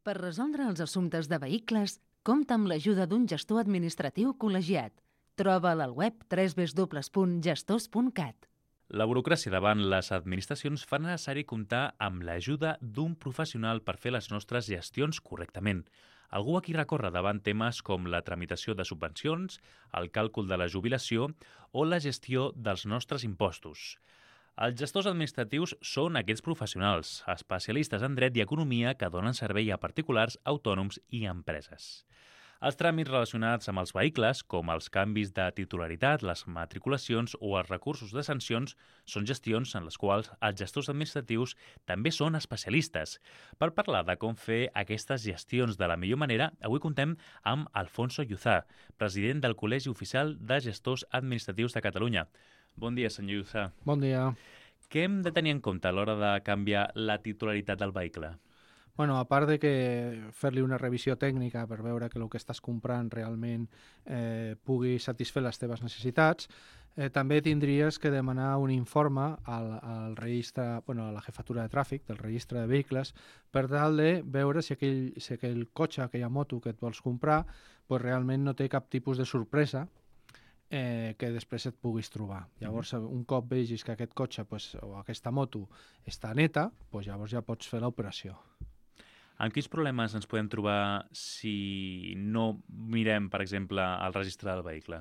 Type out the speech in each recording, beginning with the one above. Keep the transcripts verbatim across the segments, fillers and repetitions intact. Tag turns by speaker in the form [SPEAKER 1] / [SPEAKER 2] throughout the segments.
[SPEAKER 1] Per resoldre els assumptes de vehicles, compta amb l'ajuda d'un gestor administratiu col·legiat. Troba'l al web w w w punt gestors punt cat.
[SPEAKER 2] La burocràcia davant les administracions fa necessari comptar amb l'ajuda d'un professional per fer les nostres gestions correctament. Algú a qui recórrer davant temes com la tramitació de subvencions, el càlcul de la jubilació o la gestió dels nostres impostos. Els gestors administratius són aquests professionals, especialistes en dret i economia que donen servei a particulars, autònoms i empreses. Els tràmits relacionats amb els vehicles, com els canvis de titularitat, les matriculacions o els recursos de sancions, són gestions en les quals els gestors administratius també són especialistes. Per parlar de com fer aquestes gestions de la millor manera, avui contem amb Alfonso Lluzá, president del Col·legi Oficial de Gestors Administratius de Catalunya. Bon dia, senyor Lluzá.
[SPEAKER 3] Bon dia.
[SPEAKER 2] Què hem de tenir en compte a l'hora de canviar la titularitat del vehicle?
[SPEAKER 3] Bueno, a part de que fer-li una revisió tècnica per veure que el que estàs comprant realment eh, pugui satisfer les teves necessitats, eh, també tindries que demanar un informe al, al registre, bueno, a la jefatura de tràfic del registre de vehicles per tal de veure si aquell, si aquell cotxe, aquella moto que et vols comprar, pues, realment no té cap tipus de sorpresa eh, que després et puguis trobar. Llavors, un cop vegis que aquest cotxe pues, o aquesta moto està neta, pues, llavors ja pots fer l'operació.
[SPEAKER 2] Amb quins problemes ens podem trobar si no mirem, per exemple, el registre del vehicle?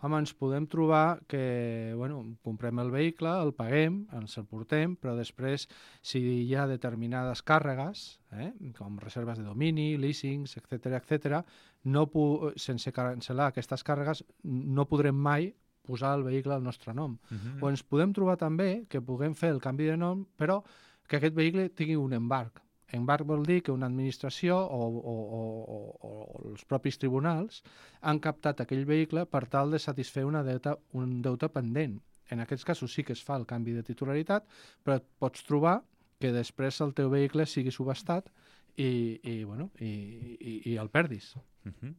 [SPEAKER 3] Home, ens podem trobar que, bueno, comprem el vehicle, el paguem, ens el portem, però després, si hi ha determinades càrregues, eh, com reserves de domini, leasings, etcètera, etcètera, no pu- sense cancel·lar aquestes càrregues, no podrem mai posar el vehicle al nostre nom.
[SPEAKER 2] Uh-huh.
[SPEAKER 3] O ens podem trobar també que puguem fer el canvi de nom, però que aquest vehicle tingui un embarg. Embarg vol dir que una administració o, o, o, o, o els propis tribunals han captat aquell vehicle per tal de satisfer una deuta, un deute pendent. En aquests casos sí que es fa el canvi de titularitat, però et pots trobar que després el teu vehicle sigui subhastat i, i, bueno, i, i, i el perdis.
[SPEAKER 2] Uh-huh.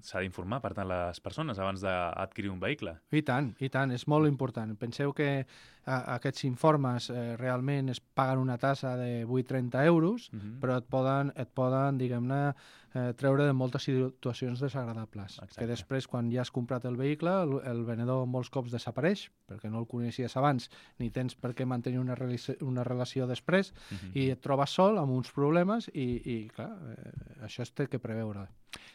[SPEAKER 2] S'ha d'informar, per tant, les persones abans d'adquirir un vehicle.
[SPEAKER 3] I tant, i tant, és molt important. Penseu que a, aquests informes eh, realment es paguen una tassa de vuit coma trenta euros, uh-huh. però et poden, et poden diguem-ne, eh, treure de moltes situacions desagradables. Exacte. Que després, quan ja has comprat el vehicle, el, el venedor molts cops desapareix, perquè no el coneixies abans, ni tens per què mantenir una, una relació després, uh-huh. i et trobes sol amb uns problemes i, i clar, eh, això es té que preveure.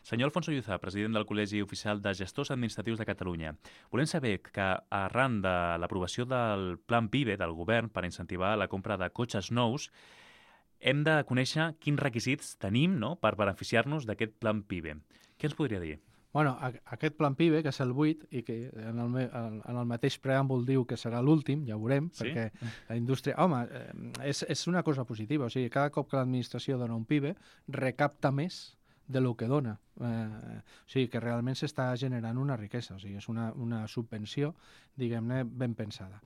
[SPEAKER 2] Senyor Alfonso Lluzá, president del Col·legi Oficial de Gestors Administratius de Catalunya, volem saber que arran de l'aprovació del Plan PIBE del govern per incentivar la compra de cotxes nous, hem de conèixer quins requisits tenim, no?, per beneficiar-nos d'aquest Plan PIBE. Què ens podria dir?
[SPEAKER 3] Bueno, aquest Plan PIBE, que és el vuit, i que en el, en el mateix preàmbul diu que serà l'últim, ja ho veurem, sí? Perquè la indústria... Home, és, és una cosa positiva, o sigui, cada cop que l'administració dona un PIBE, recapta més de lo que dona. Eh, o sigui, que realment s'està generant una riquesa, o sigui, és una, una subvenció, diguem-ne, ben pensada.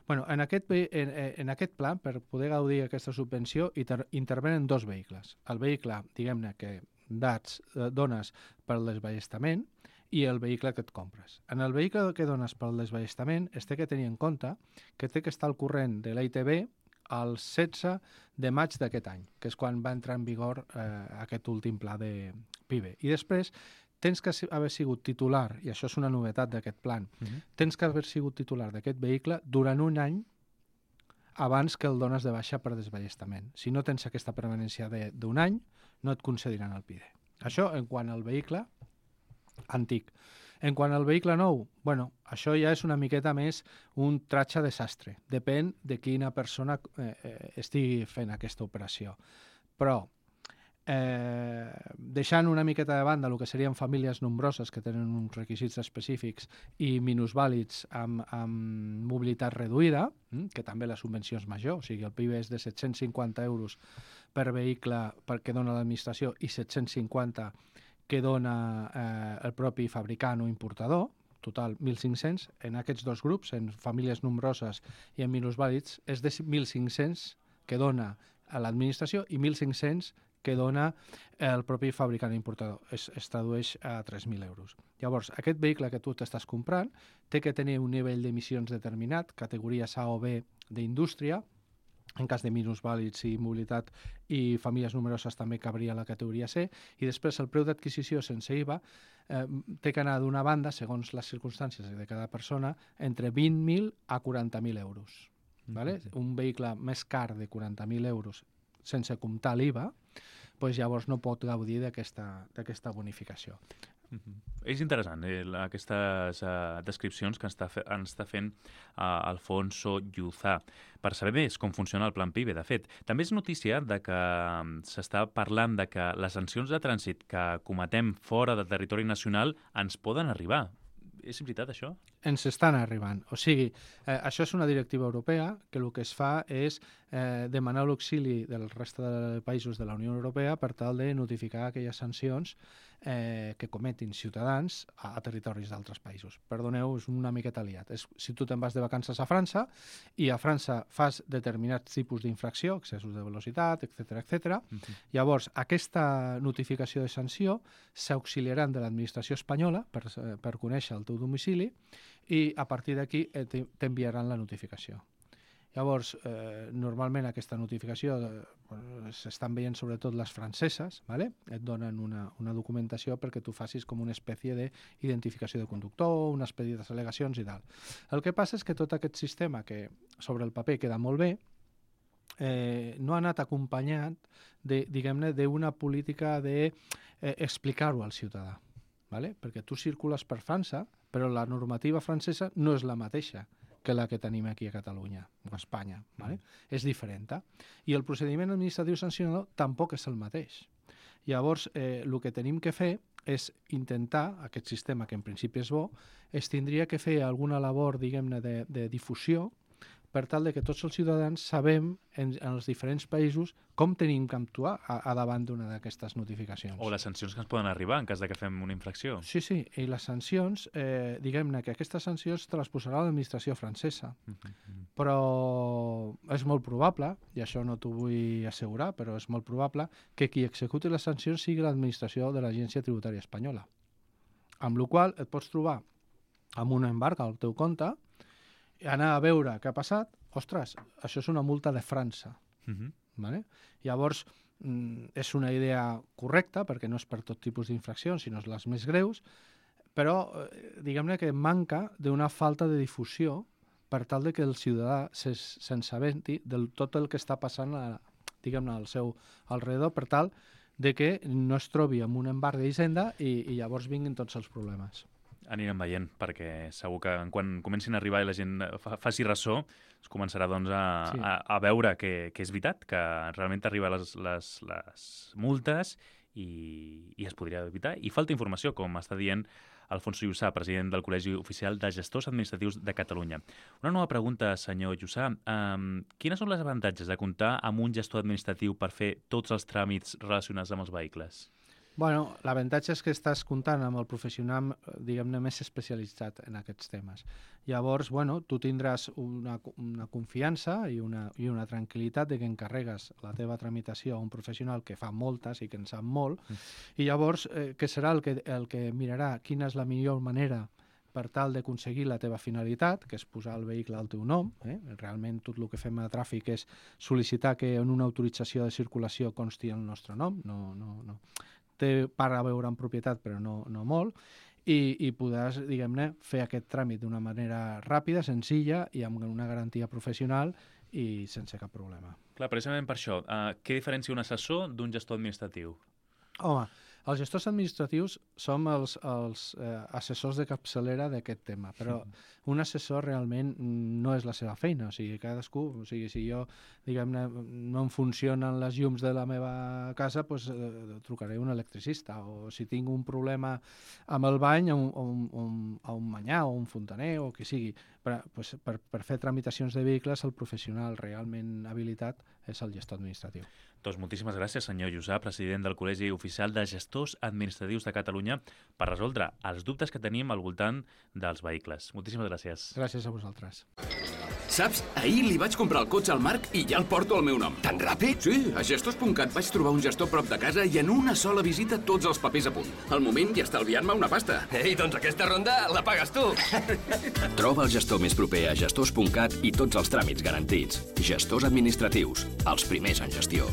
[SPEAKER 3] Bueno, en aquest, en, en aquest pla, per poder gaudir d'aquesta subvenció, inter, intervenen dos vehicles. El vehicle, diguem-ne, que dats, eh, dones pel desballestament i el vehicle que et compres. En el vehicle que dones pel desballestament es té que tenir en compte que té que estar al corrent de l'A I T B el setze de maig d'aquest any, que és quan va entrar en vigor eh, aquest últim pla de PIBE. I després tens que haver sigut titular, i això és una novetat d'aquest plan, uh-huh. tens que haver sigut titular d'aquest vehicle durant un any abans que el dones de baixa per desballestament. Si no tens aquesta permanència d'un any, no et concediran el PIBE. Això en quant al vehicle antic. En quant al vehicle nou, bueno, això ja és una miqueta més un tratge desastre. Depèn de quina persona eh, estigui fent aquesta operació. Però, eh, deixant una miqueta de banda el que serien famílies nombroses que tenen uns requisits específics i minusvàlids amb, amb mobilitat reduïda, que també la subvenció és major, o sigui, el PIBE és de set-cents cinquanta euros per vehicle que dona l'administració i set-cents cinquanta que dona eh, el propi fabricant o importador, total mil cinc-cents. En aquests dos grups, en famílies nombroses i en minusvàlids, és de mil cinc-cents que dona a l'administració i mil cinc-cents que dona el propi fabricant importador. Es, es tradueix a tres mil euros. Llavors, aquest vehicle que tu t'estàs comprant té que tenir un nivell d'emissions determinat, categories A o B d'indústria, en cas de minusvàlids i mobilitat i famílies numeroses també cabria la categoria C, i després el preu d'adquisició sense I V A eh, té que anar d'una banda, segons les circumstàncies de cada persona, entre vint mil a quaranta mil euros. Mm-hmm. Vale? Un vehicle més car de quaranta mil euros sense comptar l'I V A, pues llavors no pot gaudir d'aquesta bonificació.
[SPEAKER 2] Mm-hmm. És interessant, eh, aquestes uh, descripcions que ens està, fe ens està fent uh, Alfonso Lluzá, per saber més com funciona el Plan PIBE. De fet, també és notícia de que um, s'està parlant de que les sancions de trànsit que cometem fora del territori nacional ens poden arribar. És veritat, això?
[SPEAKER 3] Ens estan arribant. O sigui, eh, això és una directiva europea que el que es fa és eh, demanar l'auxili del reste de països de la Unió Europea per tal de notificar aquelles sancions eh, que cometin ciutadans a, a territoris d'altres països. Perdoneu, és una miqueta liat. És, si tu te'n vas de vacances a França i a França fas determinats tipus d'infracció, excessos de velocitat, etcètera, etcètera, uh-huh. Llavors aquesta notificació de sanció s'auxiliaran de l'administració espanyola per, per conèixer el teu domicili i a partir d'aquí eh, t'enviaran la notificació. Llavors, eh, normalment aquesta notificació eh, s'estan veient sobretot les franceses, ¿vale? Et donen una, una documentació perquè tu facis com una espècie d'identificació de conductor, una espècie de al·legacions i tal. El que passa és que tot aquest sistema, que sobre el paper queda molt bé, eh, no ha anat acompanyat de, diguem-ne, d'una política d'explicar-ho eh, al ciutadà, ¿vale? Perquè tu circules per França, però la normativa francesa no és la mateixa que la que tenim aquí a Catalunya o a Espanya. ¿Vale? Mm. És diferent. I el procediment administratiu sancionador tampoc és el mateix. Llavors, eh, el que tenim que fer és intentar, aquest sistema que en principi és bo, es tindria que fer alguna labor, diguem-ne, de, de difusió per tal de que tots els ciutadans sabem en, en els diferents països com tenim que actuar a, a davant d'una d'aquestes notificacions.
[SPEAKER 2] O les sancions que ens poden arribar en cas de que fem una infracció.
[SPEAKER 3] Sí, sí, i les sancions, eh, diguem-ne que aquestes sancions te les posarà l'administració francesa, mm-hmm. però és molt probable, i això no t'ho vull assegurar, però és molt probable que qui executi les sancions sigui l'administració de l'Agència Tributària Espanyola. Amb la qual cosa et pots trobar amb un embarg al teu compte, anar a veure què ha passat, ostres, això és una multa de França. Uh-huh. Vale? Llavors, mm, és una idea correcta, perquè no és per tot tipus d'infraccions, sinó les més greus, però eh, diguem-ne que manca d'una falta de difusió per tal de que el ciutadà se'n sabenti del tot el que està passant a, diguem-ne, al seu alrededor, per tal de que no es trobi amb un embarg d'Hisenda i, i llavors vinguin tots els problemes.
[SPEAKER 2] Anirem veient, perquè segur que quan comencin a arribar i la gent fa, faci ressò, es començarà doncs, a, sí. a, a veure que, que és veritat, que realment arriben les, les, les multes i, i es podria evitar. I falta informació, com està dient Alfonso Lluzá, president del Col·legi Oficial de Gestors Administratius de Catalunya. Una nova pregunta, senyor Lluzá. Um, quines són les avantatges de comptar amb un gestor administratiu per fer tots els tràmits relacionats amb els vehicles?
[SPEAKER 3] Bueno, l'avantatge és que estàs comptant amb el professional, diguem-ne, més especialitzat en aquests temes. Llavors, bueno, tu tindràs una, una confiança i una, i una tranquil·litat de que encarregues la teva tramitació a un professional que fa moltes i que en sap molt, mm. i llavors, eh, que serà el que, el que mirarà quina és la millor manera per tal d'aconseguir la teva finalitat, que és posar el vehicle al teu nom. Eh? Realment tot el que fem a tràfic és sol·licitar que en una autorització de circulació consti el nostre nom, no... no, no. Té part a veure en propietat, però no, no molt, i, i podràs, diguem-ne, fer aquest tràmit d'una manera ràpida, senzilla i amb una garantia professional i sense cap problema.
[SPEAKER 2] Clar, precisament per això, uh, què diferencia un assessor d'un gestor administratiu?
[SPEAKER 3] Home, els gestors administratius som els, els eh, assessors de capçalera d'aquest tema, però un assessor realment no és la seva feina, o sigui, cadascú, o sigui, si jo, diguem-ne, no em funcionen les llums de la meva casa, doncs eh, trucaré un electricista, o si tinc un problema amb el bany, a un, a un, un, a un manyà o un fontaner, o qui sigui. Per, pues, per, per fer tramitacions de vehicles, el professional realment habilitat és el gestor administratiu.
[SPEAKER 2] Doncs moltíssimes gràcies, senyor Lluzá, president del Col·legi Oficial de Gestors Administratius de Catalunya, per resoldre els dubtes que tenim al voltant dels vehicles. Moltíssimes gràcies.
[SPEAKER 3] Gràcies a vosaltres.
[SPEAKER 4] Saps? Ahir li vaig comprar el cotxe al Marc i ja el porto al meu nom.
[SPEAKER 5] Tan ràpid?
[SPEAKER 4] Sí, a gestors punt cat vaig trobar un gestor prop de casa i en una sola visita tots els papers a punt. Al moment ja estalviant-me una pasta.
[SPEAKER 5] Ei, doncs aquesta ronda la pagues tu.
[SPEAKER 4] Troba el gestor més proper a gestors punt cat i tots els tràmits garantits. Gestors administratius, els primers en gestió.